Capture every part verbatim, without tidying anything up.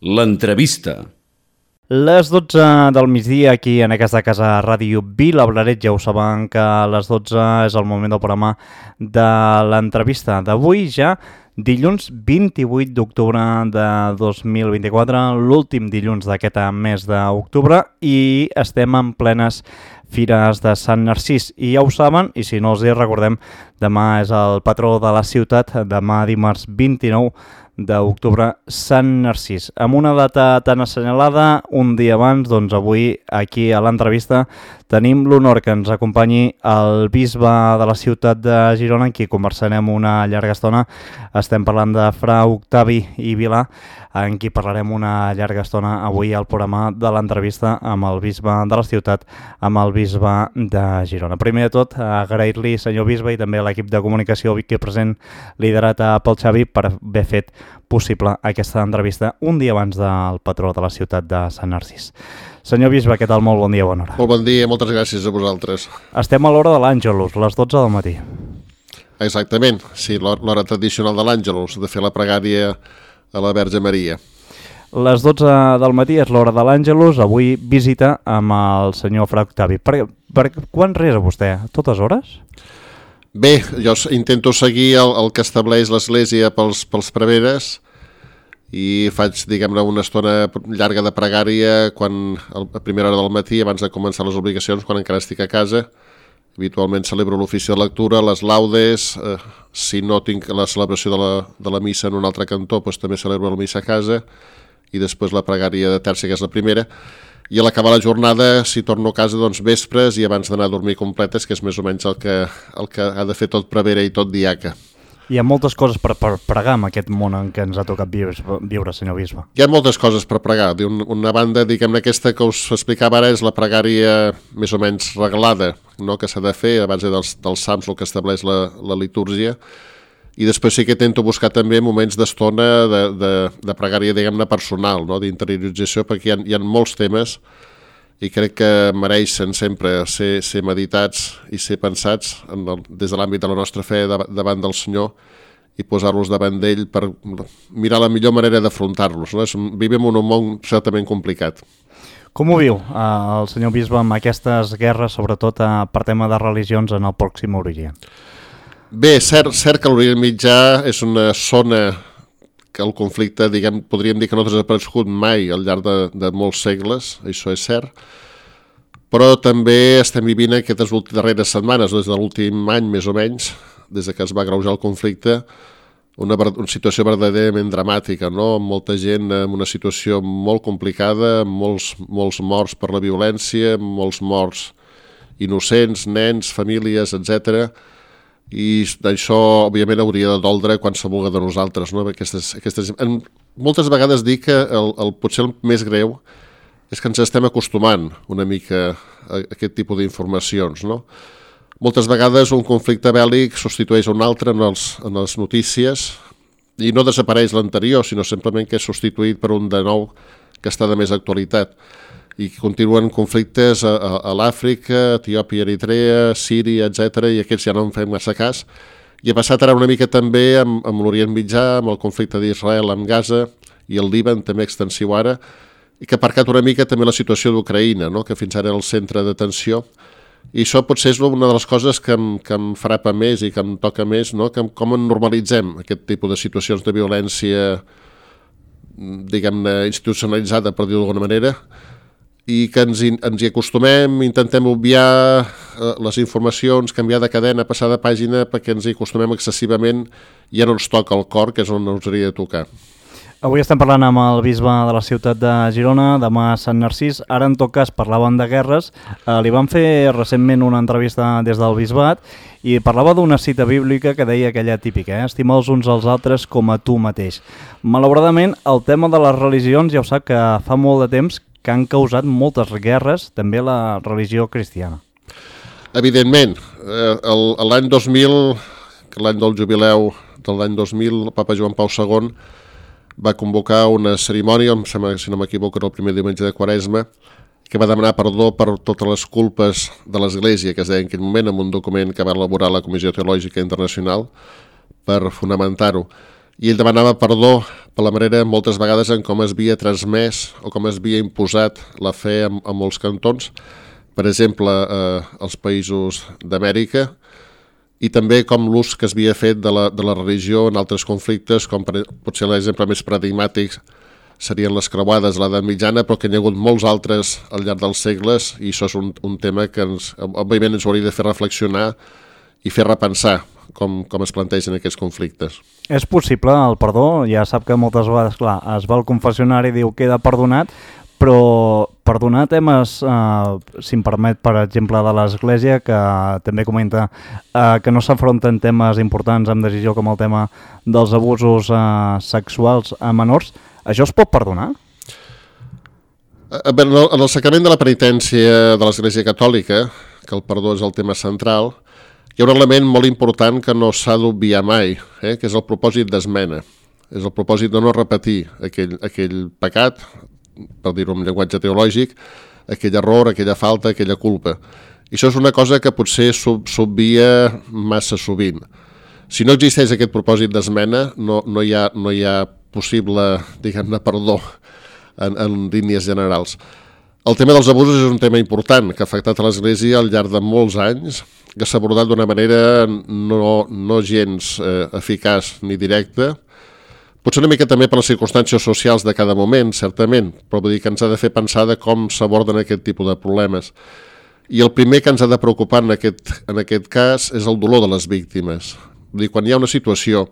L'entrevista. Les dotze del migdia aquí en aquesta casa Ràdio Vilablareix. Ja ho saben que a les dotze és el moment del programa de l'entrevista d'avui, ja dilluns vint-i-vuit d'octubre de dos mil vint-i-quatre, l'últim dilluns d'aquest mes d'octubre, i estem en plenes fires de Sant Narcís. I ja ho saben, i si no els hi recordem, demà és el patró de la ciutat, demà dimarts vint-i-nou d'octubre, Sant Narcís. Amb una data tan assenyalada, un dia abans, doncs avui aquí a l'entrevista tenim l'honor que ens acompanyi el bisbe de la ciutat de Girona, amb qui conversarem una llarga estona. Estem parlant de fra Octavi i Vilà, en qui parlarem una llarga estona avui al programa de l'entrevista amb el bisbe de la ciutat, amb el bisbe de Girona. Primer de tot, agrair-li, senyor bisbe, i també a l'equip de comunicació aquí present, liderat pel Xavi, per haver fet possible aquesta entrevista un dia abans del patró de la ciutat de Sant Narcís. Senyor bisbe, què tal? Molt bon dia, bona hora. Molt bon dia, moltes gràcies a vosaltres. Estem a l'hora de l'Àngelus, les dotze del matí. Exactament, sí, l'hora tradicional de l'Àngelus, de fer la pregària a la Verge Maria. Les dotze del matí és l'hora de l'Àngelus, avui visita amb el senyor fra Octavi. Per, per quan resa vostè? Totes hores? Bé, jo intento seguir el, el que estableix l'Església pels, pels preveres i faig, diguem-ne, una estona llarga de pregària quan, a primera hora del matí, abans de començar les obligacions, quan encara estic a casa. Habitualment celebro l'ofici de lectura, les laudes, eh, si no tinc la celebració de la, de la missa en un altre cantó, doncs també celebro la missa a casa, i després la pregària de terça, que és la primera. I a l'acabar la jornada, si torno a casa, doncs vespres i abans d'anar a dormir completes, que és més o menys el que, el que ha de fer tot prevere i tot diaca. Hi ha moltes coses per, per pregar en aquest món en què ens ha tocat viure, viure, senyor bisbe. Hi ha moltes coses per pregar. Una banda, diguem-ne, aquesta que us explicava ara és la pregària més o menys reglada, no?, que s'ha de fer a base dels, dels sams, el que estableix la, la litúrgia. I després sí que intento buscar també moments d'estona de, de, de pregària, diguem-ne, personal, no?, d'interiorització, perquè hi ha, hi ha molts temes i crec que mereixen sempre ser, ser meditats i ser pensats en el, des de l'àmbit de la nostra fe davant del Senyor i posar-los davant d'ell per mirar la millor manera d'afrontar-los, no? Vivim en un món certament complicat. Com ho viu eh, el senyor bisbe amb aquestes guerres, sobretot eh, per tema de religions en el Pròxim Orient? Bé, cert, cert que l'Orient Mitjà és una zona que el conflicte, diguem, podríem dir que no ha desaparegut mai al llarg de, de molts segles, això és cert, però també estem vivint aquestes darreres setmanes, des de l'últim any més o menys, des que es va agreujar el conflicte, una, una situació verdaderament dramàtica, no?, amb molta gent en una situació molt complicada, amb molts, molts morts per la violència, molts morts innocents, nens, famílies, etcètera, i això, òbviament, hauria de doldre qualsevol de nosaltres, no? Aquestes, aquestes... Moltes vegades dic que el, el, potser el més greu és que ens estem acostumant una mica a aquest tipus d'informacions, no? Moltes vegades un conflicte bèl·lic substitueix un altre en, els, en les notícies i no desapareix l'anterior, sinó simplement que és substituït per un de nou que està de més actualitat. I continuen conflictes a, a, a l'Àfrica, Etiòpia, Eritrea, Síria, etcètera, i aquests ja no en fem massa cas. I ha passat ara una mica també amb, amb l'Orient Mitjà, amb el conflicte d'Israel amb Gaza i el Líban, també extensiu ara, i que ha aparcat una mica també la situació d'Ucraïna, no?, que fins ara era el centre d'atenció. I això potser és una de les coses que em, que em frapa més i que em toca més, no?, que com normalitzem aquest tipus de situacions de violència, diguem-ne, institucionalitzada, per dir-ho d'alguna manera, i que ens, ens hi acostumem, intentem obviar eh, les informacions, canviar de cadena, passar de pàgina, perquè ens hi acostumem excessivament i ja no ens toca el cor, que és on ens hauria de tocar. Avui estem parlant amb el bisbe de la ciutat de Girona, demà Sant Narcís. Ara, en tot cas, parlaven de guerres. Eh, li van fer recentment una entrevista des del bisbat i parlava d'una cita bíblica que deia aquella típica, eh? Estima els uns als altres com a tu mateix. Malauradament, el tema de les religions ja ho sap que fa molt de temps que han causat moltes guerres, també la religió cristiana. Evidentment, eh, l'any dos mil, l'any del jubileu de l'any dos mil, el papa Joan Pau segon va convocar una cerimònia, em sembla, si no m'equivoco, era el primer diumenge de Quaresma, que va demanar perdó per totes les culpes de l'Església, que es deia en aquell moment, en un document que va elaborar la Comissió Teològica Internacional per fonamentar-ho. i ell demanava perdó per la manera moltes vegades en com es havia transmès o com es havia imposat la fe en, en molts cantons, per exemple, eh, als països d'Amèrica, i també com l'ús que es havia fet de la, de la religió en altres conflictes, com per, potser l'exemple més paradigmàtic serien les creuades a l'edat mitjana, però que hi ha hagut molts altres al llarg dels segles, i això és un, un tema que ens, òbviament ens hauria de fer reflexionar i fer repensar com, com es plantegen aquests conflictes. És possible el perdó? Ja sap que moltes vegades, clar, es va al confessionari i diu queda perdonat, però perdonar temes, eh, si em permet, per exemple, de l'Església, que també comenta eh, que no s'afronten temes importants amb decisió com el tema dels abusos eh, sexuals a menors, això es pot perdonar? En el, en el sacrament de la penitència de l'Església Catòlica, que el perdó és el tema central, hi ha un element molt important que no s'ha d'obviar mai, eh, que és el propòsit d'esmena. És el propòsit de no repetir aquell, aquell pecat, per dir-ho en llenguatge teològic, aquell error, aquella falta, aquella culpa. I això és una cosa que potser s'obvia massa sovint. Si no existeix aquest propòsit d'esmena, no, no, hi ha, no hi ha possible, diguem-ne, perdó en, en línies generals. El tema dels abusos és un tema important que ha afectat a l'Església al llarg de molts anys, que s'ha abordat d'una manera no, no gens eh, eficaç ni directa, potser una mica també per les circumstàncies socials de cada moment, certament, però vull dir que ens ha de fer pensar de com s'aborden aquest tipus de problemes. I el primer que ens ha de preocupar en aquest, en aquest cas és el dolor de les víctimes. Vull dir, quan hi ha una situació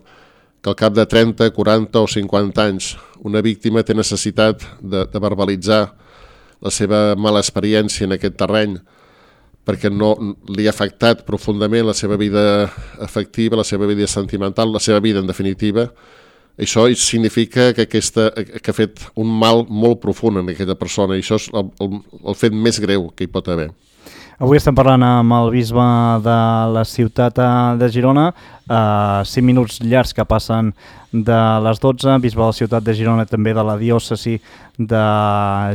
que al cap de trenta, quaranta o cinquanta anys una víctima té necessitat de, de verbalitzar la seva mala experiència en aquest terreny perquè no li ha afectat profundament la seva vida afectiva, la seva vida sentimental, la seva vida en definitiva, això significa que, aquesta, que ha fet un mal molt profund en aquella persona, i això és el, el, el fet més greu que hi pot haver. Avui estem parlant amb el bisbe de la ciutat de Girona, eh, cinc minuts llargs que passen de les dotze, bisbe de la ciutat de Girona, també de la diòcesi de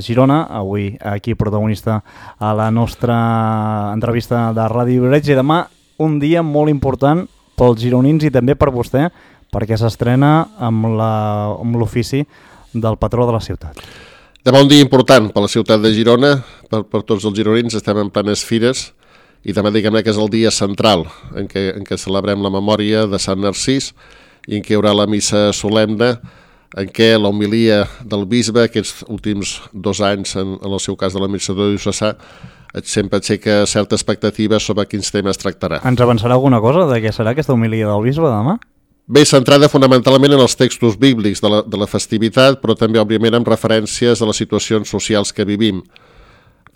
Girona, avui aquí protagonista a la nostra entrevista de Ràdio Vilareig, i demà un dia molt important pels gironins i també per vostè, perquè s'estrena amb l'ofici del patró de la ciutat. Demà un dia important per la ciutat de Girona, per, per tots els gironins, estem en plenes fires, i també diguem-ne que és el dia central en què, en què celebrem la memòria de Sant Narcís i en què hi haurà la missa solemne, en què la homilia del bisbe, aquests últims dos anys, en, en el seu cas de l'administrador diocesà, sempre aixeca certa expectativa sobre quins temes tractarà. Ens avançarà alguna cosa de què serà aquesta homilia del bisbe demà? Bé, centrada fonamentalment en els textos bíblics de la, de la festivitat, però també, òbviament, amb referències a les situacions socials que vivim.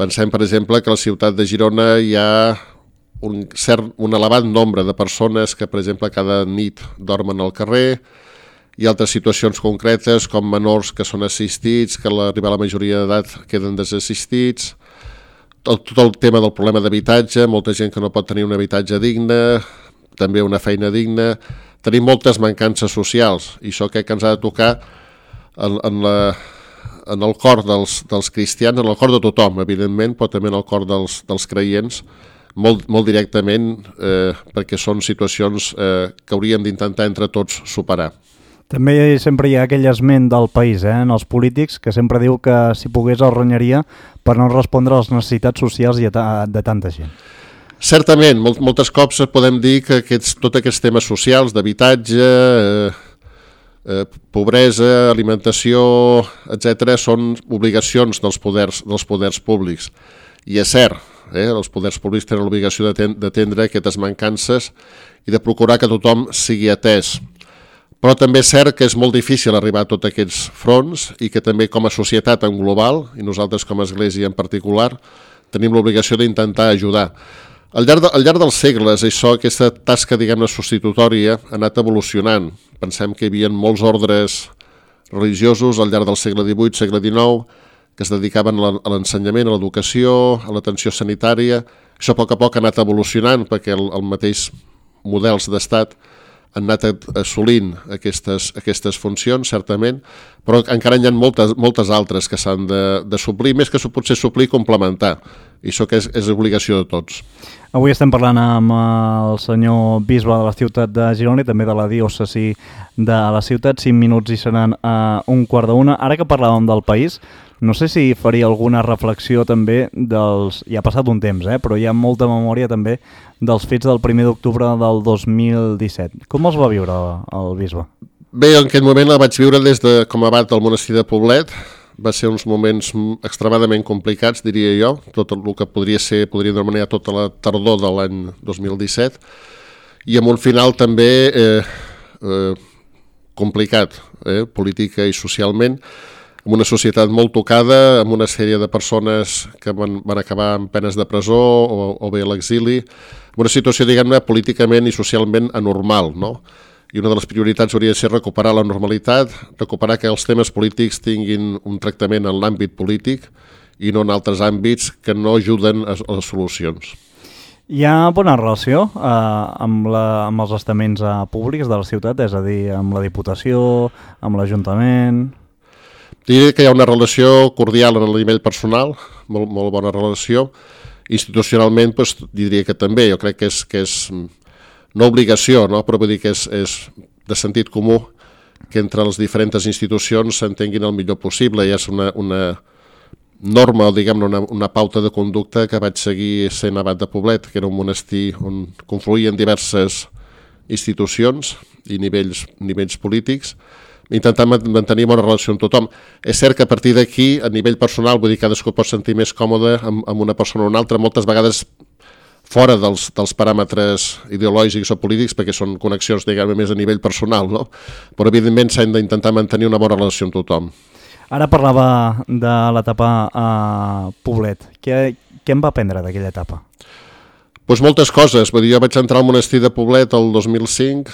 Pensem, per exemple, que a la ciutat de Girona hi ha un, cert, un elevat nombre de persones que, per exemple, cada nit dormen al carrer, i altres situacions concretes com menors que són assistits, que a l'arribar a la majoria d'edat queden desassistits, tot, tot el tema del problema d'habitatge, molta gent que no pot tenir un habitatge digne, també una feina digna. Tenim moltes mancances socials, i això crec que ens ha de tocar en, en, la, en el cor dels, dels cristians, en el cor de tothom, evidentment, però també en el cor dels, dels creients, molt, molt directament, eh, perquè són situacions eh, que hauríem d'intentar entre tots superar. També sempre hi ha aquell esment del país, eh, en els polítics, que sempre diu que si pogués el renyaria per no respondre a les necessitats socials de, de tanta gent. Certament, molt, moltes cops podem dir que aquests, tots aquests temes socials d'habitatge, eh, eh, pobresa, alimentació, etcètera, són obligacions dels poders, dels poders públics. I és cert, eh, els poders públics tenen l'obligació d'atendre aquestes mancances i de procurar que tothom sigui atès. Però també és cert que és molt difícil arribar a tots aquests fronts i que també com a societat en global, i nosaltres com a Església en particular, tenim l'obligació d'intentar ajudar. Al llarg, de, al llarg dels segles, això, aquesta tasca, diguem-ne, substitutòria ha anat evolucionant. Pensem que hi havia molts ordres religiosos al llarg del segle divuit, segle dinou, que es dedicaven a l'ensenyament, a l'educació, a l'atenció sanitària. Això a poc a poc ha anat evolucionant perquè el, el mateix models d'estat han anat assolint aquestes, aquestes funcions, certament, però encara hi ha moltes, moltes altres que s'han de, de suplir, més que potser suplir, complementar. I això que és, és obligació de tots. Avui estem parlant amb el senyor bisbe de la ciutat de Girona i també de la diòcesi de la ciutat. Cinc minuts i seran a un quart d'una. Ara que parlàvem del país, no sé si faria alguna reflexió també dels... Ja ha passat un temps, eh? Però hi ha molta memòria també dels fets del primer d'octubre del dos mil disset. Com els va viure el bisbe? Bé, en aquest moment la vaig viure des de com a abat del monestir de Poblet. Va ser uns moments extremadament complicats, diria jo, tot el que podria ser, podria demanar tota la tardor de l'any dos mil disset, i amb un final també eh, eh, complicat, eh, política i socialment, amb una societat molt tocada, amb una sèrie de persones que van, van acabar amb penes de presó o, o bé a l'exili, una situació, diguem-ne, políticament i socialment anormal, no? I una de les prioritats hauria de ser recuperar la normalitat, recuperar que els temes polítics tinguin un tractament en l'àmbit polític i no en altres àmbits que no ajuden a les solucions. Hi ha bona relació eh, amb, la, amb els estaments eh, públics de la ciutat, és a dir, amb la Diputació, amb l'Ajuntament... Diria que hi ha una relació cordial en el nivell personal, molt, molt bona relació. Institucionalment, doncs, diria que també. Jo crec que és... Que és no obligació, no? Però vull dir que és, és de sentit comú que entre les diferents institucions s'entenguin el millor possible. I és una, una norma, o diguem-ne, una, una pauta de conducta que vaig seguir sent abat de Poblet, que era un monestir on confluïen diverses institucions i nivells, nivells polítics, intentant mantenir bona relació amb tothom. És cert que a partir d'aquí, a nivell personal, vull dir que cadascú pot sentir més còmode amb, amb una persona o una altra, moltes vegades fora dels, dels paràmetres ideològics o polítics, perquè són connexions, diguem-ne, més a nivell personal, no? Però evidentment s'han d'intentar mantenir una bona relació amb tothom. Ara parlava de l'etapa a Poblet. Què, què em va aprendre d'aquella etapa? Doncs moltes coses. Vull dir, jo vaig entrar al monestir de Poblet el dos mil cinc,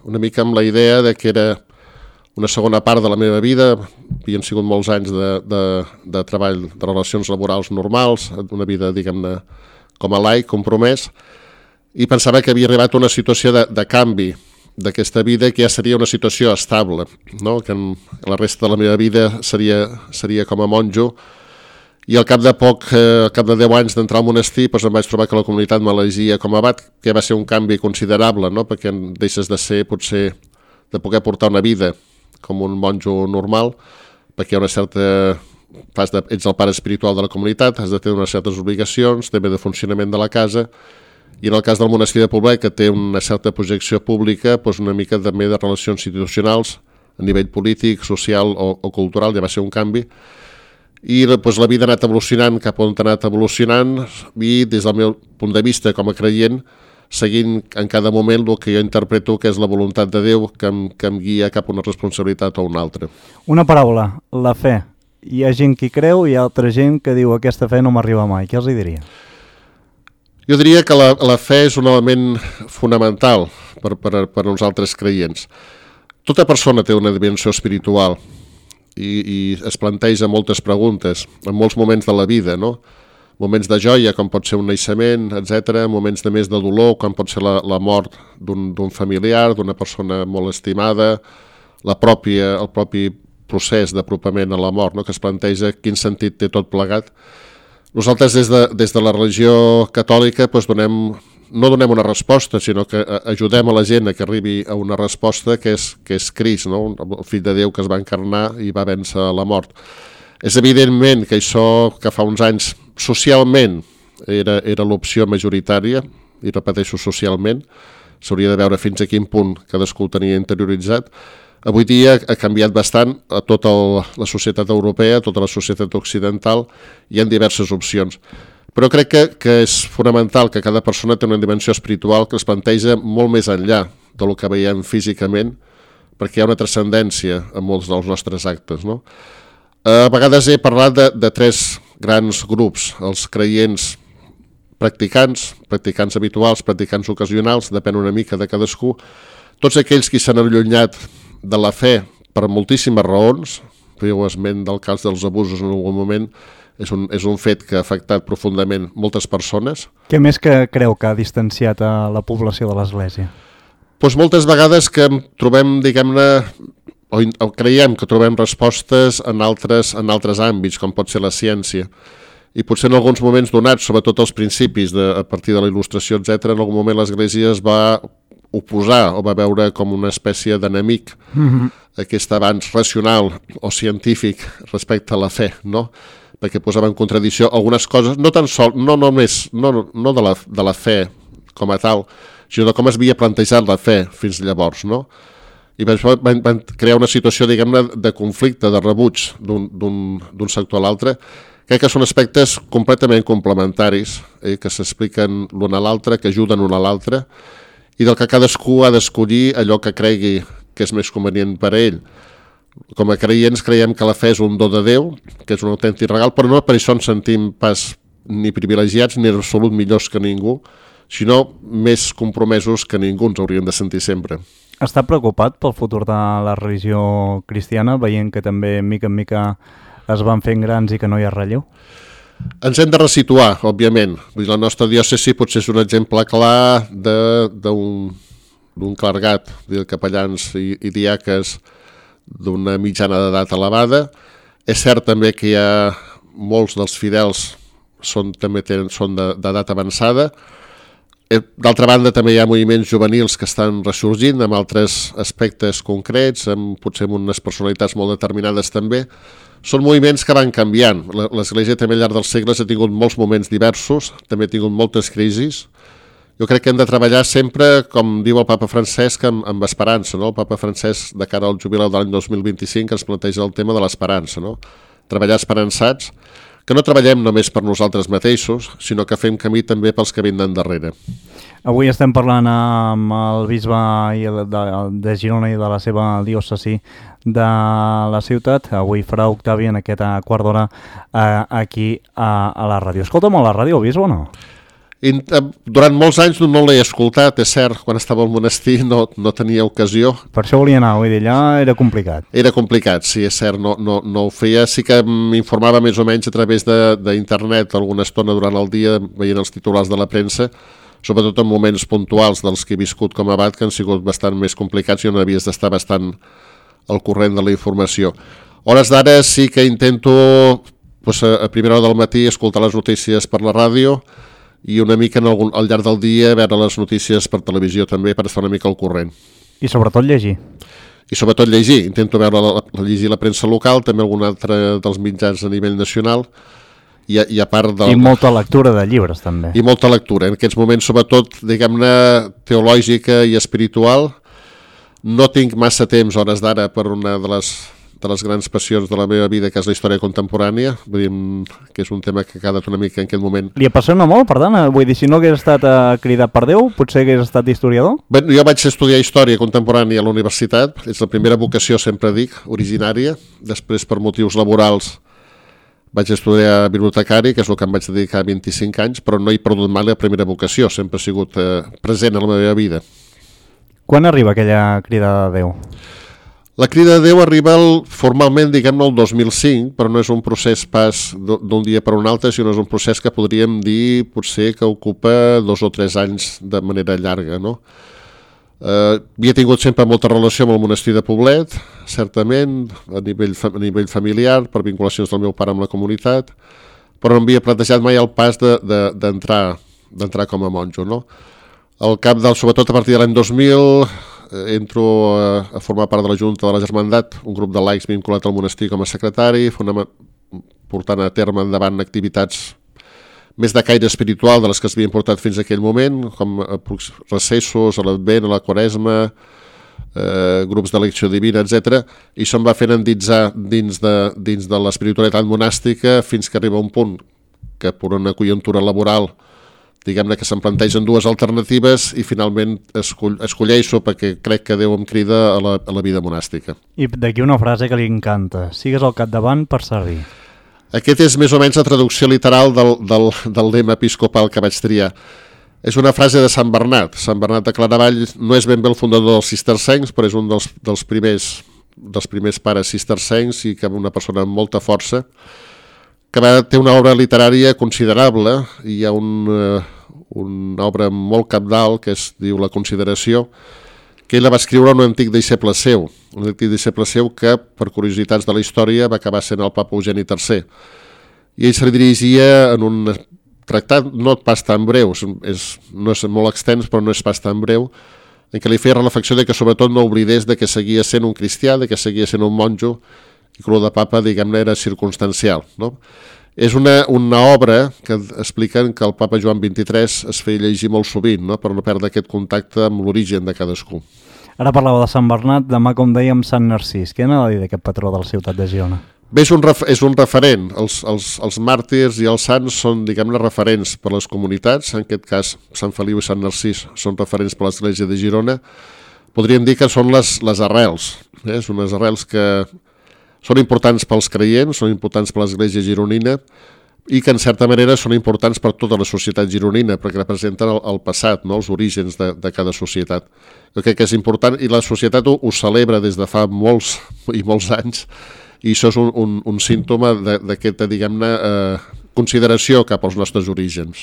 una mica amb la idea de que era una segona part de la meva vida. Havien sigut molts anys de, de, de treball, de relacions laborals normals, una vida, diguem-ne, com a laic, compromès, i pensava que havia arribat a una situació de, de canvi d'aquesta vida que ja seria una situació estable, no? Que en la resta de la meva vida seria, seria com a monjo, i al cap de poc, eh, al cap de deu anys d'entrar al monestir, doncs em vaig trobar que la comunitat m'elegia com a abat, que va ser un canvi considerable, no? Perquè deixes de ser, potser, de poder portar una vida com un monjo normal, perquè hi ha una certa... Fas de, ets el pare espiritual de la comunitat, has de tenir unes certes obligacions, també de funcionament de la casa, i en el cas del monestir de Poblet, que té una certa projecció pública, doncs una mica també de relacions institucionals, a nivell polític, social o, o cultural, ja va ser un canvi, i doncs, la vida ha anat evolucionant cap on ha anat evolucionant, i des del meu punt de vista com a creient, seguint en cada moment el que jo interpreto que és la voluntat de Déu que em, que em guia cap a una responsabilitat o una altra. Una paraula, la fe. Hi ha gent que creu i hi ha altra gent que diu aquesta fe no m'arriba mai. Què els hi diria? Jo diria que la, la fe és un element fonamental per, per, per nosaltres creients. Tota persona té una dimensió espiritual i, i es planteja moltes preguntes en molts moments de la vida, no? Moments de joia, com pot ser un naixement, etcètera, moments de més de dolor, com pot ser la, la mort d'un, d'un familiar, d'una persona molt estimada, la pròpia, el propi procés d'apropament a la mort, no? Que es planteja quin sentit té tot plegat. Nosaltres des de, des de la religió catòlica doncs donem, no donem una resposta, sinó que ajudem a la gent a que arribi a una resposta que és, que és Crist, no? El fill de Déu que es va encarnar i va vèncer la mort. És evidentment que això que fa uns anys socialment era, era l'opció majoritària, i repeteixo socialment, s'hauria de veure fins a quin punt cadascú ho tenia interioritzat. Avui dia ha canviat bastant a tota el, la societat europea, a tota la societat occidental, hi ha diverses opcions. Però crec que, que és fonamental que cada persona té una dimensió espiritual que es planteja molt més enllà del que veiem físicament, perquè hi ha una transcendència en molts dels nostres actes, no? A vegades he parlat de, de tres grans grups, els creients practicants, practicants habituals, practicants ocasionals, depèn una mica de cadascú, tots aquells que s'han allunyat de la fe per moltíssimes raons, fèieu esment del cas dels abusos en algun moment, és un, és un fet que ha afectat profundament moltes persones. Què més que creu que ha distanciat a la població de l'Església? Doncs moltes vegades que trobem, diguem-ne, o, o creiem que trobem respostes en altres, en altres àmbits, com pot ser la ciència. i potser en alguns moments donats, sobretot als principis, de, a partir de la il·lustració, etcètera, en algun moment l'Església es va oposar o va veure com una espècie d'enemic mm-hmm. aquest avanç racional o científic respecte a la fe, no? Perquè posava en contradicció algunes coses, no tan sol, no només, no, no de, la, de la fe com a tal, sinó de com es havia plantejat la fe fins llavors, no? I van, van crear una situació, diguem-ne, de conflicte, de rebuig d'un sector a l'altre. Crec que són aspectes completament complementaris, eh, que s'expliquen l'un a l'altre, que ajuden l'un a l'altre, i del que cadascú ha d'escollir allò que cregui que és més convenient per a ell. Com a creients creiem que la fe és un do de Déu, que és un autèntic regal, però no per això ens sentim pas ni privilegiats ni en absolut millors que ningú, sinó més compromesos que ningú ens hauríem de sentir sempre. Està preocupat pel futur de la religió cristiana, veient que també mica en mica es van fent grans i que no hi ha relleu? Ens hem de resituar, òbviament. Vull dir, la nostra diòcesi potser és un exemple clar d'un clergat, de capellans i, i diaques d'una mitjana d'edat elevada. És cert també que hi ha molts dels fidels són, també tenen, són d'edat avançada. D'altra banda, també hi ha moviments juvenils que estan ressorgint amb altres aspectes concrets, amb, potser amb unes personalitats molt determinades també. Són moviments que van canviant. L'Església també al llarg dels segles ha tingut molts moments diversos, també ha tingut moltes crisis. Jo crec que hem de treballar sempre, com diu el papa Francesc, amb, amb esperança. No? El papa Francesc, de cara al jubileu de l'any dos mil vint-i-cinc, ens planteja el tema de l'esperança. No? Treballar esperançats, que no treballem només per nosaltres mateixos, sinó que fem camí també pels que vindran darrere. Avui estem parlant amb el bisbe de, de Girona i de la seva diòcesi de la ciutat. Avui farà Octavi en aquesta quart d'hora eh, aquí a, a la ràdio. Escolta molt la ràdio, bisbe, o no? I, durant molts anys no l'he escoltat, és cert, quan estava al monestir no, no tenia ocasió. Per això volia anar, vull dir, allà era complicat. Era complicat, sí, és cert, no, no, no ho feia, sí que m'informava més o menys a través d'internet alguna estona durant el dia, veient els titulars de la premsa, sobretot en moments puntuals dels que he viscut com a abat, que han sigut bastant més complicats i on havies d'estar bastant al corrent de la informació. Hores d'ara sí que intento doncs, a primera hora del matí escoltar les notícies per la ràdio, i una mica en algun, al llarg del dia veure les notícies per televisió també per estar una mica al corrent. I sobretot llegir. I sobretot llegir. Intento veure la, la, llegir la premsa local, també algun altre dels mitjans a nivell nacional i a, i a part del... I molta lectura de llibres també. I molta lectura. En aquests moments sobretot, diguem-ne, teològica i espiritual. No tinc massa temps, hores d'ara, per una de les... de les grans passions de la meva vida, que és la història contemporània, vull dir, que és un tema que ha quedat una mica en aquest moment. Li apassiona molt, per tant, vull dir, si no hagués estat uh, cridat per Déu, potser hagués estat historiador? Bé, jo vaig estudiar història contemporània a la universitat, és la primera vocació, sempre dic, originària, després per motius laborals vaig estudiar bibliotecari, que és el que em vaig dedicar vint-i-cinc anys, però no he perdut mai la primera vocació, sempre ha sigut eh, present a la meva vida. Quan arriba aquella crida de Déu? La crida de Déu arriba el, formalment, diguem-ne, el dos mil cinc, però no és un procés pas d'un dia per un altre, sinó és un procés que podríem dir, potser, que ocupa dos o tres anys de manera llarga, no? Eh, havia tingut sempre molta relació amb el monestir de Poblet, certament, a nivell, a nivell familiar, per vinculacions del meu pare amb la comunitat, però no havia plantejat mai el pas d'entrar de, de, d'entrar com a monjo, no? Al cap del, sobretot a partir de l'any dos mil, entro a, a formar part de la Junta de la Germandat, un grup de laics vinculat al monestir com a secretari, portant a terme endavant activitats més de caire espiritual de les que s'havien portat fins a aquell moment, com recessos, a l'Advent, a la Quaresma, eh, grups d'elecció divina, etcètera, i se'm va fent endinsar dins de, dins de l'espiritualitat monàstica fins que arriba un punt que per una conjuntura laboral, diguem-ne que se'm plantegen dues alternatives i finalment escoll, escolleixo perquè crec que Déu em crida a la, a la vida monàstica. I d'aquí una frase que li encanta: sigues al capdavant per servir. Aquest és més o menys la traducció literal del, del, del lema episcopal que vaig triar. És una frase de Sant Bernat. Sant Bernat de Claravall no és ben bé el fundador dels cistercencs, però és un dels, dels, primers, dels primers pares cistercencs i que una persona amb molta força, que va ter una obra literària considerable. Hi ha un, uh, una obra molt cabdal que es diu La Consideració, que ell la va escriure un antic deixeble seu, un antic deixeble seu que, per curiositats de la història, va acabar sent el papa Eugeni tercer. i ell se li dirigia en un tractat no pas tan breu, és, no és molt extens però no és pas tan breu, en què li feia reflexió de que sobretot no oblidés de que seguia sent un cristià, de que seguia sent un monjo, i que el de papa, diguem-ne, era circumstancial, no? És una, una obra que expliquen que el papa Joan vint-i-tres es feia llegir molt sovint, no? Per no perdre aquest contacte amb l'origen de cadascú. Ara parlava de Sant Bernat, demà, com dèiem, Sant Narcís. Què n'ha de dir d'aquest patró de la ciutat de Girona? Bé, és un, ref, és un referent. Els, els, els màrtirs i els sants són, diguem-ne, referents per les comunitats. En aquest cas, Sant Feliu i Sant Narcís són referents per l'Església de Girona. Podríem dir que són les, les arrels. Eh? Són unes arrels que són importants pels creients, són importants per l'Església gironina i que en certa manera són importants per tota la societat gironina perquè representen el, el passat, no? Els orígens de, de cada societat. Jo crec que és important i la societat ho, ho celebra des de fa molts i molts anys i això és un, un, un símptoma d'aquesta, diguem-ne, eh, consideració cap als nostres orígens.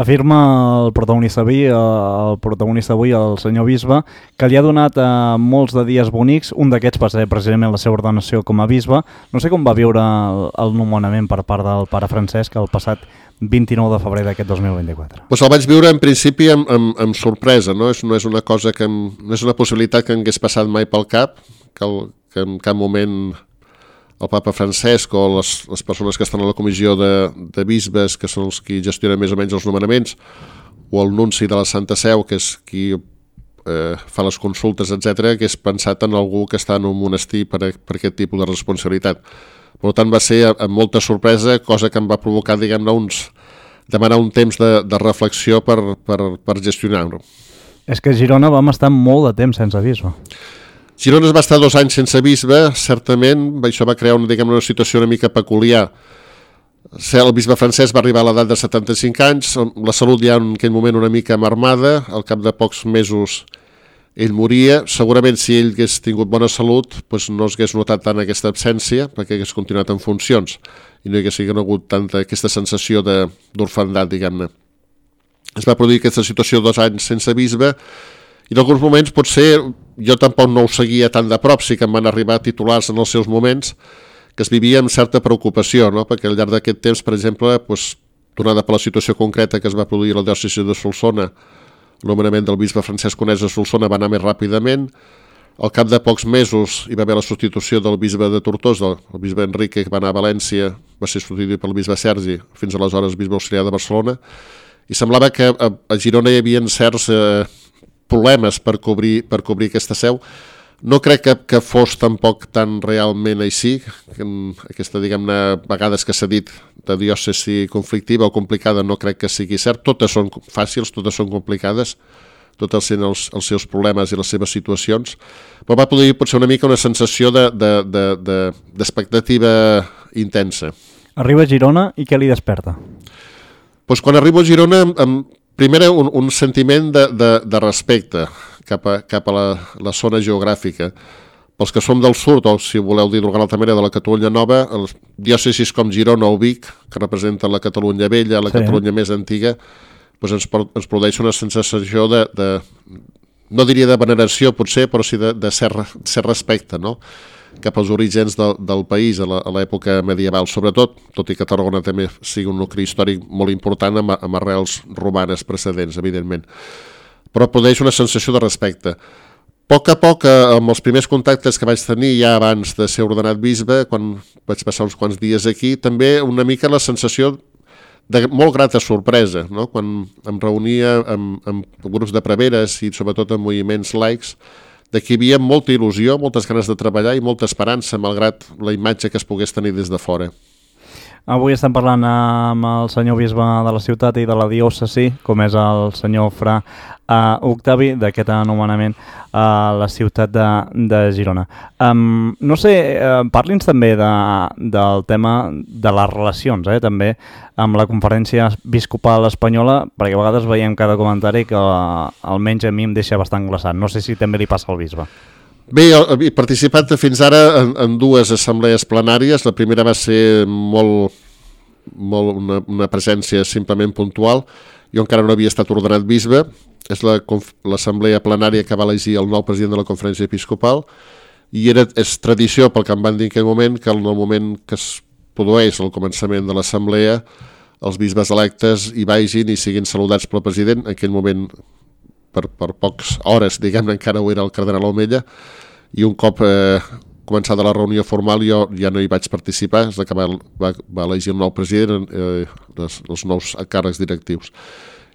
Afirma el protagonista avui, el protagonista avui, el senyor bisbe, que li ha donat eh, molts de dies bonics, un d'aquests va ser precisament la seva ordenació com a bisbe. No sé com va viure el, el nomenament per part del pare Francesc el passat vint-i-nou de febrer d'aquest dos mil vint-i-quatre. Pues el vaig viure en principi amb, amb, amb sorpresa, no? És, no és una cosa que, em, no és una possibilitat que em hagués passat mai pel cap, que, el, que en cap moment el papa Francesc o les, les persones que estan a la comissió de, de bisbes, que són els qui gestionen més o menys els nomenaments, o el nunci de la Santa Seu, que és qui eh, fa les consultes, etcètera, que és pensat en algú que està en un monestir per, a, per aquest tipus de responsabilitat. Per tant, va ser amb molta sorpresa, cosa que em va provocar, diguem-ne, uns, demanar un temps de, de reflexió per, per, per gestionar-ho. És que a Girona vam estar molt de temps sense bisbe. Girona es va estar dos anys sense bisbe, certament, això va crear una, diguem, una situació una mica peculiar. El bisbe Francesc va arribar a l'edat de setanta-cinc anys, la salut ja en aquell moment una mica marmada, al cap de pocs mesos ell moria. Segurament si ell hagués tingut bona salut doncs no s'hagués notat tant aquesta absència, perquè hagués continuat en funcions i no hi hagués hagut tanta aquesta sensació d'orfandat, diguem-ne. Es va produir aquesta situació dos anys sense bisbe i en alguns moments potser jo tampoc no ho seguia tan de prop, sí que em van arribar titulars en els seus moments que es vivia amb certa preocupació, no? Perquè al llarg d'aquest temps, per exemple, doncs, donada per la situació concreta que es va produir a la diòcesi de Solsona, el nomenament del bisbe Francesc Conesa a Solsona va anar més ràpidament. Al cap de pocs mesos hi va haver la substitució del bisbe de Tortosa, el bisbe Enrique, que va anar a València, va ser substituït pel bisbe Sergi, fins aleshores bisbe auxiliar de Barcelona, i semblava que a, a Girona hi havia certs eh, problemes per cobrir, per cobrir aquesta seu. No crec que, que fos tampoc tan realment així, que aquesta, diguem-ne, vegades que s'ha dit de diòcesi conflictiva o complicada no crec que sigui cert, totes són fàcils, totes són complicades, totes tenen els, els seus problemes i les seves situacions, però va poder potser una mica una sensació de, de, de, de, d'expectativa intensa. Arriba a Girona i què li desperta? Pues quan arribo a Girona, em, primer un, un sentiment de, de, de respecte cap a, cap a la, la zona geogràfica. Pels que som del sud, o si voleu dir d'alguna altra manera, de la Catalunya Nova, els diòcesis com Girona o Vic, que representen la Catalunya vella, la sí. Catalunya més antiga, doncs ens, ens produeix una sensació de, de, no diria de veneració potser, però sí de, de cert, cert respecte, no?, cap als orígens del, del país a l'època medieval, sobretot, tot i que Tarragona també sigui un nucli històric molt important amb, amb arrels romanes precedents, evidentment. Però produeix una sensació de respecte. A poc a poc, amb els primers contactes que vaig tenir ja abans de ser ordenat bisbe, quan vaig passar uns quants dies aquí, també una mica la sensació de molt grata sorpresa, no? Quan em reunia amb, amb grups de preveres i sobretot amb moviments laics, de que hi havia molta il·lusió, moltes ganes de treballar i molta esperança, malgrat la imatge que es pogués tenir des de fora. Avui estem parlant amb el senyor bisbe de la ciutat i de la diòcesi, com és el senyor Fra uh, Octavi, d'aquest anomenament a la ciutat de, de Girona. Um, no sé, uh, parli'ns també de, del tema de les relacions, eh, també, amb la conferència episcopal espanyola, perquè a vegades veiem cada comentari que uh, almenys a mi em deixa bastant glaçat. No sé si també li passa al bisbe. Bé, he participat fins ara en, en dues assemblees plenàries. La primera va ser molt, molt una, una presència simplement puntual. Jo encara no havia estat ordenat bisbe. És la, l'assemblea plenària que va elegir el nou president de la conferència episcopal i era, és tradició, pel que em van dir en aquell moment, que en el moment que es produeix al començament de l'assemblea, els bisbes electes hi vagin i siguin saludats pel president. En aquell moment, per, per poques hores, diguem-ne, encara ho era el cardenal Omella, i un cop eh, començada la reunió formal jo ja no hi vaig participar, és que va, va, va elegir el nou president, eh, les, els nous càrrecs directius.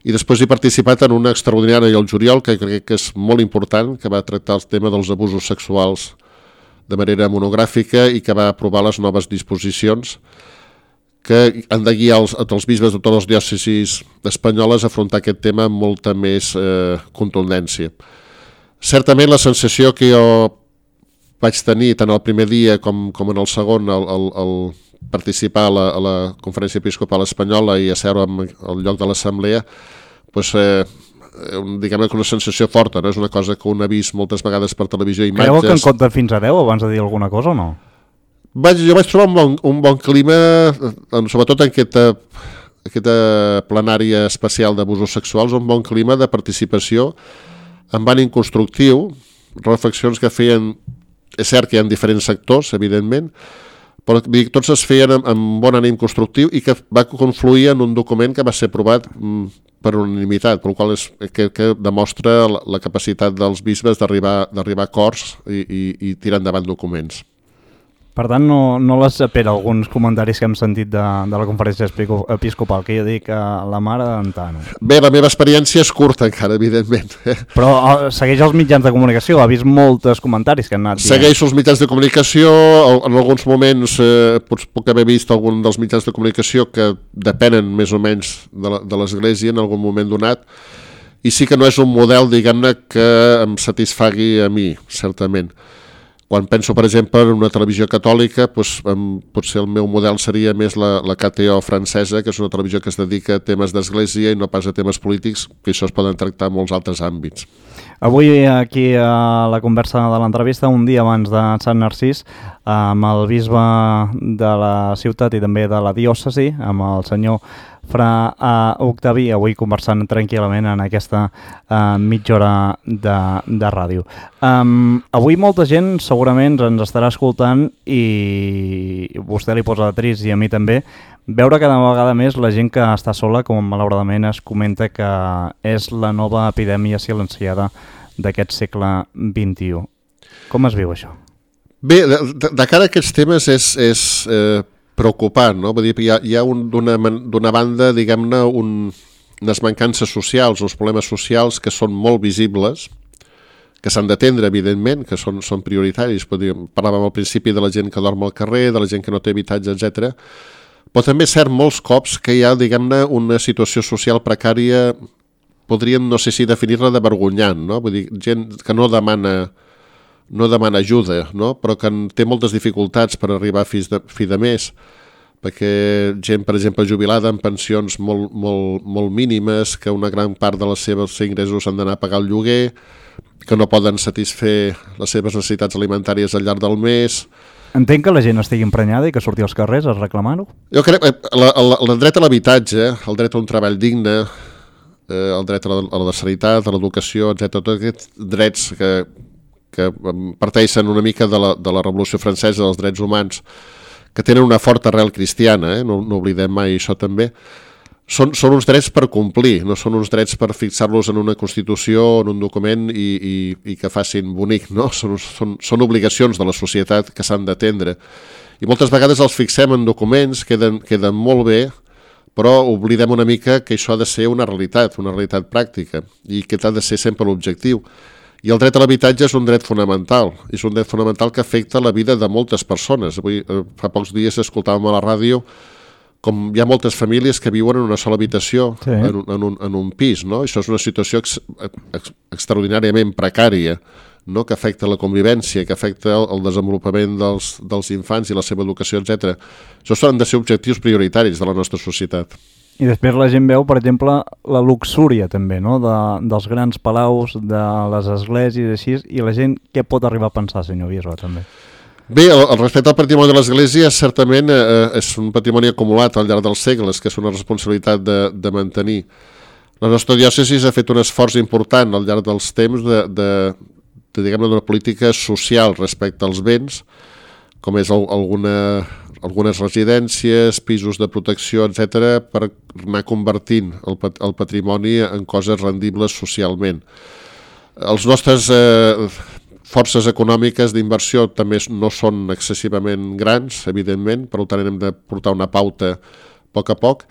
I després he participat en una extraordinària al juliol, que crec que és molt important, que va tractar el tema dels abusos sexuals de manera monogràfica i que va aprovar les noves disposicions que han de guiar els, els bisbes de totes les diòcesis espanyoles a afrontar aquest tema amb molta més eh, contundència. Certament la sensació que jo vaig tenir tant el primer dia com, com en el segon al, al, al participar a la, a la Conferència Episcopal Espanyola i asseure al lloc de l'assemblea, pues, eh, diguem-ne que una sensació forta, no? És una cosa que un ha vist moltes vegades per televisió, imatges... Creu que en compta fins a deu abans de dir alguna cosa o no? Vaig, jo vaig trobar un bon, un bon clima, sobretot en aquesta, aquesta plenària especial d'abusos sexuals, un bon clima de participació amb ànim constructiu, reflexions que feien, és cert que hi ha diferents sectors, evidentment, però tots es feien amb, amb bon ànim constructiu i que va confluir en un document que va ser aprovat mm, per unanimitat, per qual és, que, que demostra la, la capacitat dels bisbes d'arribar d'arribar a acords i, i, i tirar endavant documents. Per tant, no, no les espera alguns comentaris que hem sentit de, de la conferència episcopal, que jo dic a la mare d'Antano. Bé, la meva experiència és curta encara, evidentment. Però uh, segueix els mitjans de comunicació, ha vist molts comentaris que han anat dient. Segueixo els mitjans de comunicació, en alguns moments eh, puc haver vist algun dels mitjans de comunicació que depenen més o menys de l'Església en algun moment donat, i sí que no és un model, diguem-ne, que em satisfagui a mi, certament. Quan penso, per exemple, en una televisió catòlica, doncs, potser el meu model seria més la, la K T O francesa, que és una televisió que es dedica a temes d'església i no pas a temes polítics, que això es poden tractar en molts altres àmbits. Avui aquí a la conversa de l'entrevista, un dia abans de Sant Narcís, amb el bisbe de la ciutat i també de la diòcesi, amb el senyor Fra uh, Octaví, avui conversant tranquil·lament en aquesta uh, mitja hora de, de ràdio. Um, avui molta gent segurament ens estarà escoltant i vostè li posa trist i a mi també, veure cada vegada més la gent que està sola, com malauradament es comenta que és la nova epidèmia silenciada d'aquest segle vint-i-u. Com es viu això? Bé, de, de, de cara a aquests temes és... és eh... preocupant, no? Vull dir, hi ha, hi ha un, d'una banda, diguem-ne, un, unes mancances socials, uns problemes socials que són molt visibles, que s'han d'atendre, evidentment, que són, són prioritaris. Dir, parlàvem al principi de la gent que dorm al carrer, de la gent que no té habitatge, etcètera. Però també és cert molts cops que hi ha, diguem-ne, una situació social precària, podríem, no sé si definir-la de vergonyant, no? Vull dir, gent que no demana... no demana ajuda, no? Però que té moltes dificultats per arribar a fi de, fi de mes, perquè gent, per exemple, jubilada amb pensions molt, molt, molt mínimes, que una gran part de les seves ingressos han d'anar a pagar el lloguer, que no poden satisfer les seves necessitats alimentàries al llarg del mes. Entenc que la gent estigui emprenyada i que surti als carrers a reclamar-ho? Jo crec que el dret a l'habitatge, el dret a un treball digne, eh, el dret a la, a la sanitat, a l'educació, etcètera, tots aquests drets que que parteixen una mica de la, de la Revolució Francesa, dels drets humans, que tenen una forta arrel cristiana, eh? no, no oblidem mai això també, són, són uns drets per complir, no són uns drets per fixar-los en una Constitució, en un document i, i, i que facin bonic, no? Són, són, són obligacions de la societat que s'han d'atendre. I moltes vegades els fixem en documents, queden, queden molt bé, però oblidem una mica que això ha de ser una realitat, una realitat pràctica, i que ha de ser sempre l'objectiu. I el dret a l'habitatge és un dret fonamental, és un dret fonamental que afecta la vida de moltes persones. Avui, fa pocs dies escoltàvem a la ràdio com hi ha moltes famílies que viuen en una sola habitació, sí. en, un, en, un, en un pis, no? Això és una situació ex, ex, extraordinàriament precària, no? Que afecta la convivència, que afecta el, el desenvolupament dels, dels infants i la seva educació, etcètera. Això han de ser objectius prioritaris de la nostra societat. I després la gent veu, per exemple, la luxúria també, no? de, dels grans palaus, de les esglésies, així, i la gent què pot arribar a pensar, senyor bisbe, també? Bé, el, el respecte al patrimoni de l'església certament eh, és un patrimoni acumulat al llarg dels segles, que és una responsabilitat de, de mantenir. La nostra diòcesi ha fet un esforç important al llarg dels temps de, de, de diguem-ne, d'una política social respecte als béns, com és el, alguna algunes residències, pisos de protecció, etcètera, per anar convertint el, pat el patrimoni en coses rendibles socialment. Els nostres eh, forces econòmiques d'inversió també no són excessivament grans, evidentment, per tant hem de portar una pauta a poc a poc.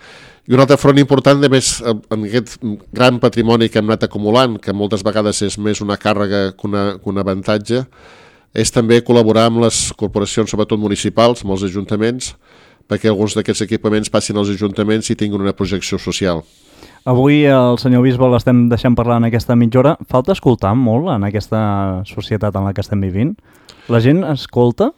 I un altre front important, de més, en aquest gran patrimoni que hem anat acumulant, que moltes vegades és més una càrrega que, una, que un avantatge, és també col·laborar amb les corporacions, sobretot municipals, amb els ajuntaments, perquè alguns d'aquests equipaments passin als ajuntaments i tinguin una projecció social. Avui el senyor Bisbal l'estem deixant parlar en aquesta mitja hora. Falta escoltar molt en aquesta societat en la que estem vivint? La gent escolta?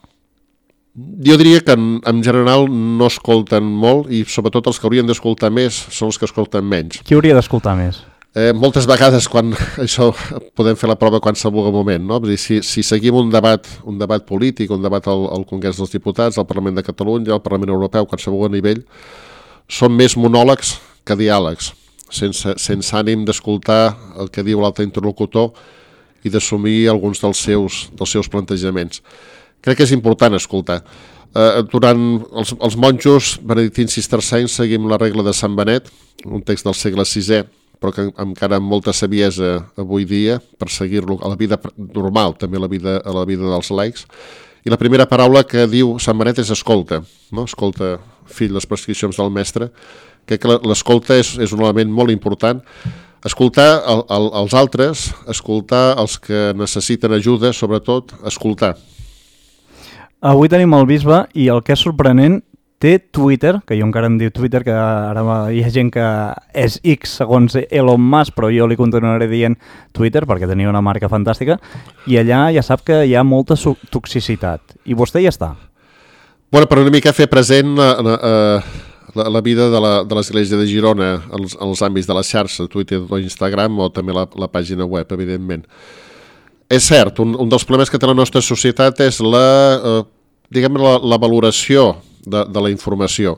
Jo diria que en, en general no escolten molt i sobretot els que haurien d'escoltar més són els que escolten menys. Qui hauria d'escoltar més? Eh, moltes vegades quan això podem fer la prova qualsevol moment, no? Vull dir, si, si seguim un debat, un debat polític, un debat al, al Congrés dels Diputats, al Parlament de Catalunya, al Parlament Europeu, qualsevol nivell, són més monòlegs que diàlegs, sense, sense ànim d'escoltar el que diu l'altre interlocutor i d'assumir alguns dels seus, dels seus plantejaments. Crec que és important escoltar. Eh, durant els, els monjos benedictins cistercencs seguim la regla de Sant Benet, un text del segle sisè, però que encara amb molta saviesa avui dia per seguir-lo a la vida normal, també a la vida, a la vida dels laics. I la primera paraula que diu Sant Benet és escolta, no? Escolta, fill, les prescripcions del mestre. Crec que l'escolta és, és un element molt important. Escoltar el, el, els altres, escoltar els que necessiten ajuda, sobretot, escoltar. Avui tenim el bisbe i el que és sorprenent, té Twitter, que jo encara em diu Twitter, que ara hi ha gent que és X segons Elon Musk, però jo li continuaré dient Twitter perquè tenia una marca fantàstica, i allà ja sap que hi ha molta toxicitat. I vostè ja està. Bueno, per una mica fer present la, la, la vida de l'Església de, de Girona, els, els àmbits de la xarxa, Twitter o Instagram, o també la, la pàgina web, evidentment. És cert, un, un dels problemes que té la nostra societat és la, eh, diguem, la, la valoració De, de la informació.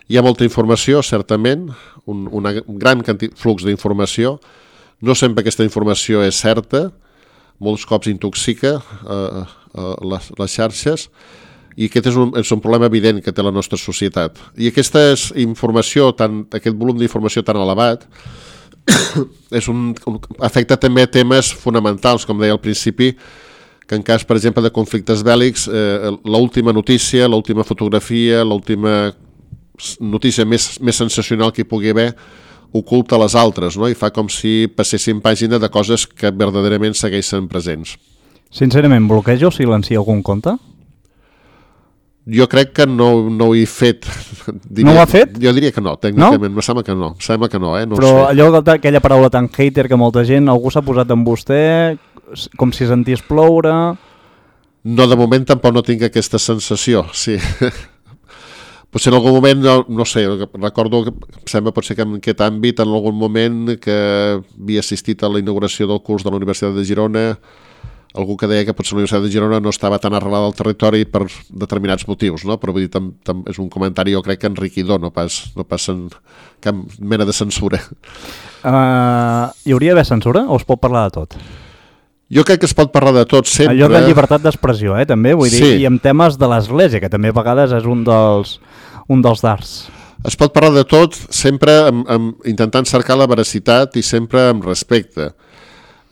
Hi ha molta informació, certament, un, una, un gran flux d'informació. No sempre aquesta informació és certa, molts cops intoxica eh, eh, les, les xarxes, i aquest és un, és un problema evident que té la nostra societat. I aquesta informació, tan, aquest volum d'informació tan elevat, és un, un, afecta també temes fonamentals, com deia al principi, que en cas, per exemple, de conflictes bèl·lics, eh, l'última notícia, l'última fotografia, l'última notícia més, més sensacional que hi pugui haver, oculta les altres, no? I fa com si passessin pàgina de coses que verdaderament segueixen presents. Sincerament, bloqueja o silencia algun compte? Jo crec que no, no ho he fet. Diria, no ho ha fet? Jo diria que no, tècnicament, no? Em sembla que no. Em sembla que no, eh? No Però allò, aquella paraula tan hater que molta gent, algú s'ha posat amb vostè, com si sentís ploure... No, de moment tampoc no tinc aquesta sensació, sí. Potser en algun moment, no, no sé, recordo que em sembla potser que en aquest àmbit, en algun moment que havia assistit a la inauguració del curs de la Universitat de Girona, algú que deia que potser la Universitat de Girona no estava tan arrelada al territori per determinats motius, no? Però vull dir, tam, tam, és un comentari, jo crec que enriquidor, no pas, no pas en cap mena de censura. Uh, hi hauria d'haver censura o es pot parlar de tot? Jo crec que es pot parlar de tot sempre. Allò de llibertat d'expressió, eh, també, vull dir, sí. I amb temes de l'Església, que també a vegades és un dels, un dels dards. Es pot parlar de tot sempre amb, amb, intentant cercar la veracitat i sempre amb respecte.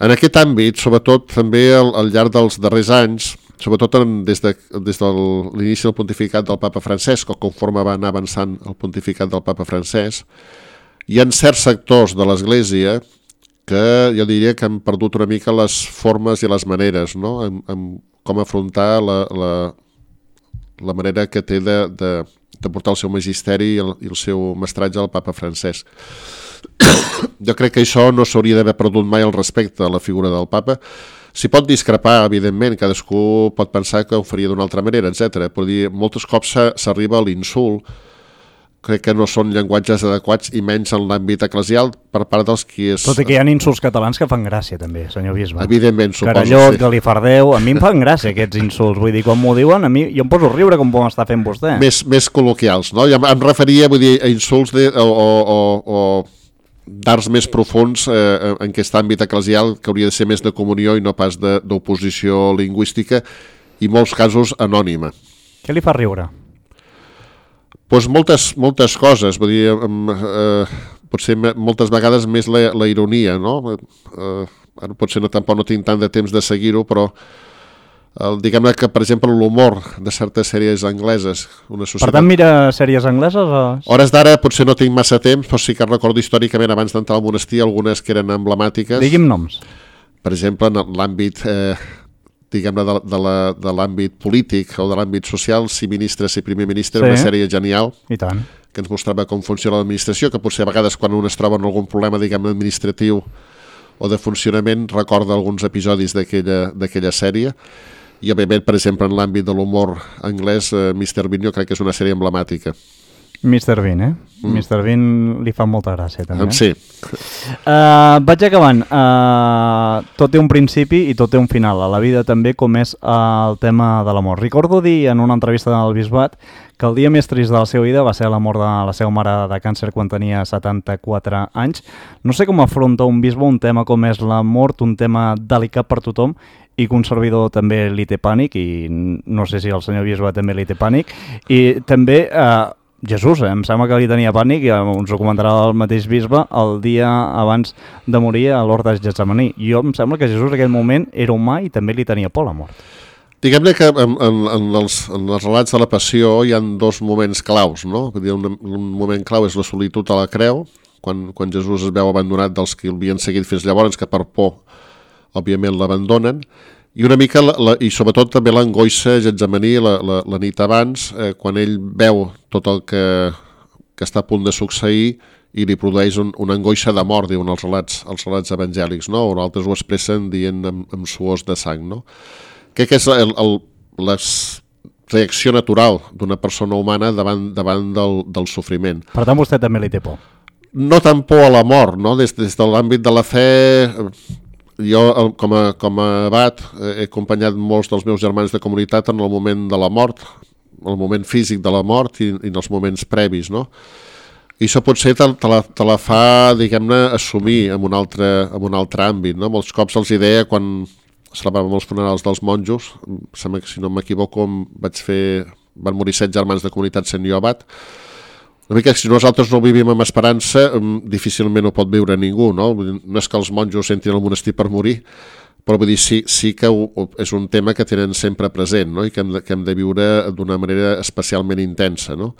En aquest àmbit, sobretot també al, al llarg dels darrers anys, sobretot en, des de, des de l'inici del pontificat del papa Francesc, o conforme va anar avançant el pontificat del papa Francesc, hi ha certs sectors de l'Església que jo diria que han perdut una mica les formes i les maneres, no? En, en com afrontar la, la, la manera que té de, de, de portar el seu magisteri i el, i el seu mestratge al papa Francesc. Jo crec que això no s'hauria d'haver perdut mai el respecte a la figura del papa. S'hi pot discrepar, evidentment, cadascú pot pensar que ho faria d'una altra manera, etcètera. Però dir, molts cops s'arriba a l'insult, crec que no són llenguatges adequats i menys en l'àmbit eclesial per part dels qui és... Tot i que hi ha insults catalans que fan gràcia també, senyor bisbe. Evidentment, suposo. Carallot, sí. Galifardeu, a mi em fan gràcia aquests insults, vull dir, quan m'ho diuen, a mi jo em poso a riure com m'ho està fent vostè. Més, més col·loquials, no? Jo em referia, vull dir, a insults de, o, o, o d'arts més profuns eh, en aquest àmbit eclesial que hauria de ser més de comunió i no pas d'oposició lingüística i en molts casos anònima. Què li fa riure? Pues moltes, moltes coses, vull dir, eh, potser moltes vegades més la, la ironia, no? Eh, ara potser no, tampoc no tinc tant de temps de seguir-ho, però el, diguem-ne que, per exemple, l'humor de certes sèries angleses... Una societat... Per tant, mira sèries angleses? O... Hores d'ara potser no tinc massa temps, però sí que recordo històricament, abans d'entrar al monestir, algunes que eren emblemàtiques. Digui'm noms. Per exemple, en l'àmbit... Eh, diguem-ne, de, de, la, de l'àmbit polític o de l'àmbit social, Si ministre, Si primer ministre, sí. Una sèrie genial. I tant. Que ens mostrava com funciona l'administració, que potser a vegades quan un es troba en algun problema, diguem-ne, administratiu o de funcionament, recorda alguns episodis d'aquella, d'aquella sèrie. I, òbviament, per exemple, en l'àmbit de l'humor anglès, eh, mister Bean, jo crec que és una sèrie emblemàtica. mister Bean, eh? Mm. mister Bean li fa molta gràcia, també. Sí. Uh, vaig acabant. Uh, tot té un principi i tot té un final. A la vida també, com és uh, el tema de l'amor. Recordo dir en una entrevista del Bisbat que el dia més trist de la seva vida va ser la mort de la seva mare de càncer quan tenia setanta-quatre anys. No sé com afronta un bisbe un tema com és la mort, un tema delicat per tothom, i que un servidor també li té pànic, i no sé si el senyor bisbe també li té pànic, i també... Uh, Jesús, eh? Em sembla que li tenia pànic, i ens ho comentarà el mateix bisbe, el dia abans de morir a l'hort de Getsemaní. Jo em sembla que Jesús en aquell moment era humà i també li tenia por a la mort. Diguem-ne que en, en, en, els, en els relats de la passió hi ha dos moments claus, no? Un, un moment clau és la solitud a la creu, quan, quan Jesús es veu abandonat dels que l'havien seguit fins llavors, que per por, òbviament, l'abandonen, i una mica, la, la, i sobretot també l'angoixa Getsemaní la, la, la nit abans, eh, quan ell veu tot el que, que està a punt de succeir i li produeix un, una angoixa de mort, diuen els relats, els relats evangèlics, no? O altres ho expressen dient amb, amb suors de sang, no? Crec que és el, el, la reacció natural d'una persona humana davant, davant del, del sofriment. Per tant, vostè també li té por? No tant por a la mort, no? Des, des de l'àmbit de la fe... Jo, com a, com a abat, he acompanyat molts dels meus germans de comunitat en el moment de la mort, el moment físic de la mort i, i en els moments previs, no? I això potser te, te, la, te la fa, diguem-ne, assumir en un altre, en un altre àmbit, no? Molts cops els deia quan celebràvem els funerals dels monjos, sembla que si no m'equivoco vaig fer, van morir set germans de comunitat sent jo abat. Una mica, si nosaltres no vivim amb esperança, difícilment ho pot viure ningú, no? No és que els monjos entrin al monestir per morir, però vull dir, sí, sí que ho, és un tema que tenen sempre present, no? I que hem de, que hem de viure d'una manera especialment intensa, no?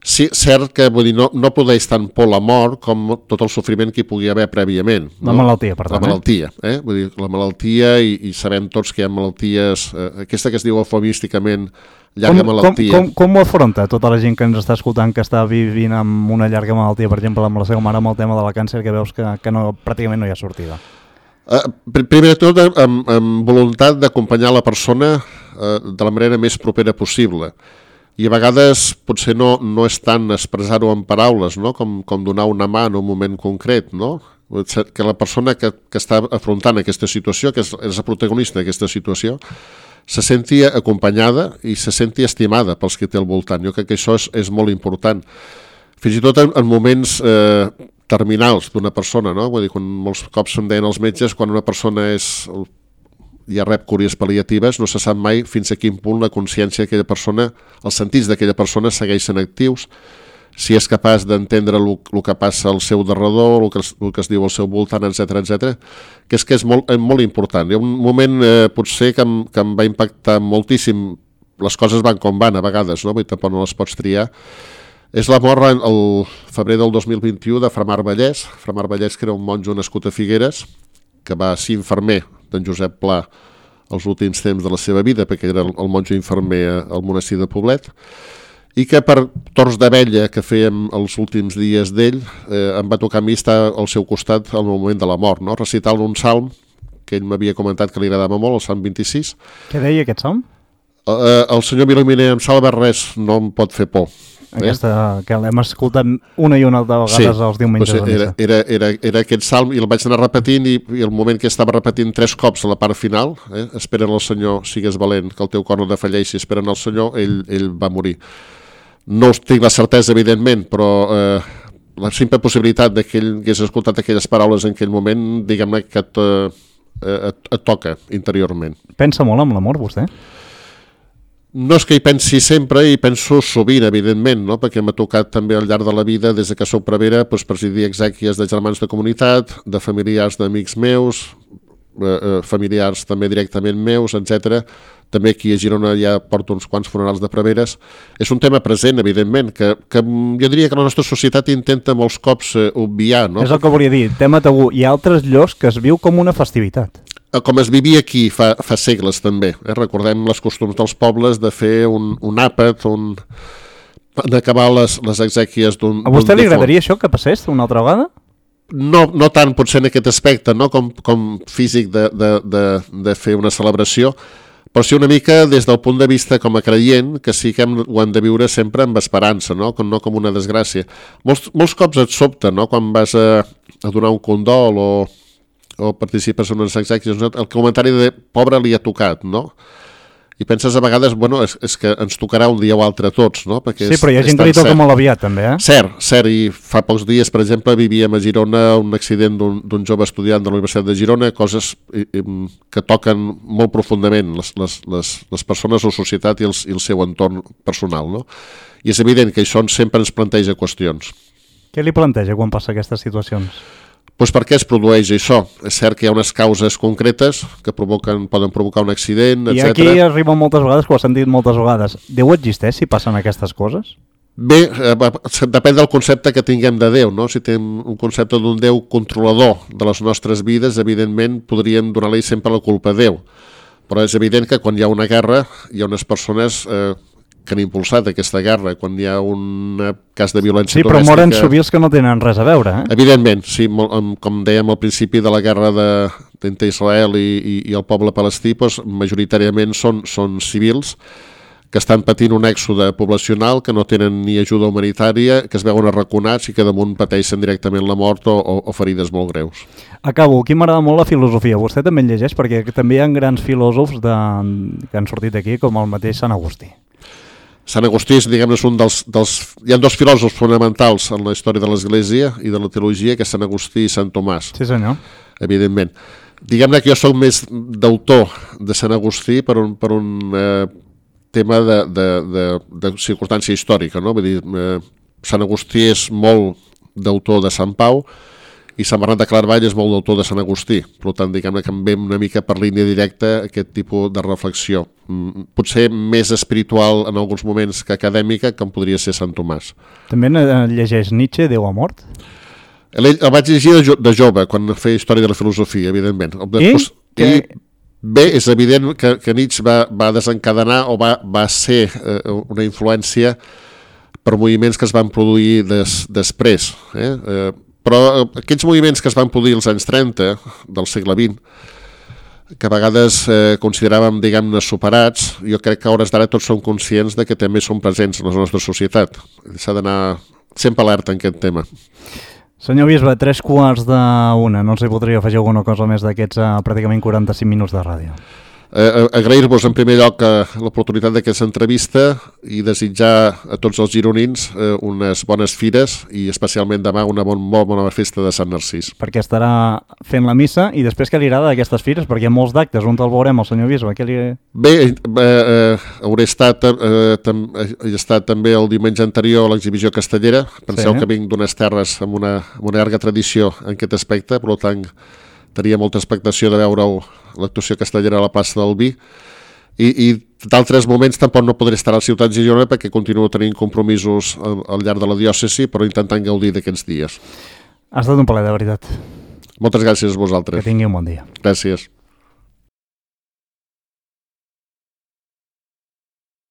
Sí, cert que vull dir, no, no produeix tant por la mort com tot el sofriment que hi pugui haver prèviament. No? La malaltia, per tant. La malaltia, eh? Vull dir, la malaltia, i, i sabem tots que hi ha malalties, eh, aquesta que es diu eufemísticament llarga com, malaltia. Com, com, com ho afronta tota la gent que ens està escoltant, que està vivint amb una llarga malaltia, per exemple, amb la seva mare, amb el tema de la càncer, que veus que, que no, pràcticament no hi ha sortida? Uh, primer de tot, amb, amb voluntat d'acompanyar la persona uh, de la manera més propera possible. I a vegades potser no, no és tant expressar-ho en paraules, no? com, com donar una mà en un moment concret, no? Que la persona que, que està afrontant aquesta situació, que és, és la protagonista d'aquesta situació, se senti acompanyada i se senti estimada pels que té al voltant. Jo crec que això és, és molt important. Fins i tot en, en moments eh, terminals d'una persona, no? Vull dir, quan molts cops em deien els metges, quan una persona és, ja rep cures pal·liatives, no se sap mai fins a quin punt la consciència d'aquella persona, els sentits d'aquella persona segueixen actius, si és capaç d'entendre el, el que passa al seu darredor, el que, el que es diu al seu voltant, etcètera, etcètera, que és que és molt, molt important. Hi ha un moment eh, potser que em, que em va impactar moltíssim, les coses van com van a vegades, no? Vull dir, tampoc no les pots triar. És la mort el febrer del dos mil vint-i-u de Fra Marc Vallès, Fra Marc Vallès, que era un monjo nascut a Figueres, que va ser infermer d'en Josep Pla els últims temps de la seva vida, perquè era el, el monjo infermer al monestir de Poblet, i que per torns d'abella que fèiem els últims dies d'ell, eh, em va tocar a mi estar al seu costat al moment de la mort, no? Recitant un salm que ell m'havia comentat que li agradava molt, el salm vint-i-sis. Què deia aquest salm? Eh, el senyor m'il·lumina amb salva, res no em pot fer por. Aquesta, eh? Que l'hem escoltat una i una altra vegades, sí, els diumenges doncs era, era, era, era aquest salm, i el vaig anar repetint, i, i el moment que estava repetint tres cops a la part final, eh, esperen el Senyor, sigues valent, que el teu cor no defalleixi, esperen el Senyor, ell, ell va morir. No tinc la certesa, evidentment, però eh, la simple possibilitat de que ell hagués escoltat aquelles paraules en aquell moment, diguem-ne que et, eh, et, et toca interiorment. Pensa molt amb l'amor, vostè? No és que hi pensi sempre, hi penso sovint, evidentment, no? Perquè m'ha tocat també al llarg de la vida, des que soc prevere, doncs, presidir exèquies de germans de comunitat, de familiars d'amics meus, eh, familiars també directament meus, etcètera. També aquí a Girona ja porto uns quants funerals de preveres. És un tema present, evidentment, que, que jo diria que la nostra societat intenta molts cops eh, obviar. No? És el que volia dir, tema tabú. Hi ha altres llocs que es viu com una festivitat. Com es vivia aquí fa, fa segles també. Eh? Recordem les costums dels pobles de fer un, un àpat, un... d'acabar les, les exèquies d'un... A vostè li agradaria això que passés una altra vegada? No, no tant potser en aquest aspecte, no com, com físic de, de, de, de fer una celebració, però sí una mica des del punt de vista com a creient, que sí que hem, ho hem de viure sempre amb esperança, no com, no com una desgràcia. Molts, molts cops et sobta, no? Quan vas a, a donar un condol o, o participes en unes exèquies, no? El comentari de pobre li ha tocat, no? I penses a vegades, bueno, és, és que ens tocarà un dia o altre a tots, no? Perquè sí, però hi ha gent que li toca molt aviat, també, eh? Cert, cert, i fa pocs dies, per exemple, vivíem a Girona un accident d'un jove estudiant de la Universitat de Girona, coses i, i, que toquen molt profundament les, les, les, les persones, la societat i el, i el seu entorn personal, no? I és evident que això sempre ens planteja qüestions. Què li planteja quan passa aquestes situacions? Doncs per què es produeix això? És cert que hi ha unes causes concretes que provoquen, poden provocar un accident, etcètera. I aquí arriba moltes vegades, que ho has sentit moltes vegades. Déu existeix si passen aquestes coses? Bé, eh, depèn del concepte que tinguem de Déu, no? Si tenim un concepte d'un Déu controlador de les nostres vides, evidentment podríem donar-li sempre la culpa a Déu. Però és evident que quan hi ha una guerra, hi ha unes persones... Eh, que han impulsat aquesta guerra, quan hi ha un cas de violència sí, domèstica... Sí, però moren civils que no tenen res a veure, eh? Evidentment, sí, com dèiem al principi de la guerra de, entre Israel i, i, i el poble palestí, doncs, majoritàriament són, són civils que estan patint un èxode poblacional, que no tenen ni ajuda humanitària, que es veuen arraconats i que damunt pateixen directament la mort o, o, o ferides molt greus. Acabo, aquí m'agrada molt la filosofia. Vostè també en llegeix, perquè també hi ha grans filòsofs de, que han sortit d'aquí, com el mateix Sant Agustí. Sant Agustí, diguem-ne, és un dels, dels... Hi ha dos filòsofs fonamentals en la història de l'Església i de la teologia, que és Sant Agustí i Sant Tomàs. Sí, senyor. Evidentment. Diguem-ne que jo soc més d'autor de Sant Agustí per un, per un eh, tema de, de, de, de circumstància històrica, no? Vull dir, eh, Sant Agustí és molt d'autor de Sant Pau i Sant Bernat de Claravall és molt d'autor de Sant Agustí. Per tant, diguem-ne que em ve una mica per línia directa aquest tipus de reflexió. Potser més espiritual en alguns moments que acadèmica, com podria ser Sant Tomàs. També llegeix Nietzsche, Déu ha mort? El, el vaig llegir de, jo, de jove, quan feia història de la filosofia, evidentment. Després, I? I bé, és evident que, que Nietzsche va, va desencadenar o va, va ser eh, una influència per moviments que es van produir des, després, eh? eh Però aquests moviments que es van produir als anys trenta del segle vint, que a vegades eh, consideràvem, diguem-ne, superats, jo crec que a hores d'ara tots som conscients de que també són presents en la nostra societat. S'ha d'anar sempre alerta en aquest tema. Senyor Bisbe, tres quarts d'una. No sé si podria afegir alguna cosa més d'aquests uh, pràcticament quaranta-cinc minuts de ràdio. Eh, agrair-vos en primer lloc eh, l'oportunitat d'aquesta entrevista i desitjar a tots els gironins eh, unes bones fires i especialment demà una bon, molt bona festa de Sant Narcís. Perquè estarà fent la missa i després què li agrada d'aquestes fires? Perquè hi ha molts d'actes, on el veurem, el senyor Bisbe? Què li... Bé, eh, eh, hauré estat, eh, tam, he estat també el diumenge anterior a l'exhibició castellera. Penseu sí. que vinc d'unes terres amb una, amb una llarga tradició en aquest aspecte, per tant tenia molta expectació de veure l'actuació castellera a la plaça del Vi i, i d'altres moments tampoc no podré estar a la ciutat de Girona perquè continuo tenint compromisos al, al llarg de la diòcesi, però intentant gaudir d'aquests dies. Ha estat un plaer, de veritat. Moltes gràcies a vosaltres. Que tingui un bon dia. Gràcies.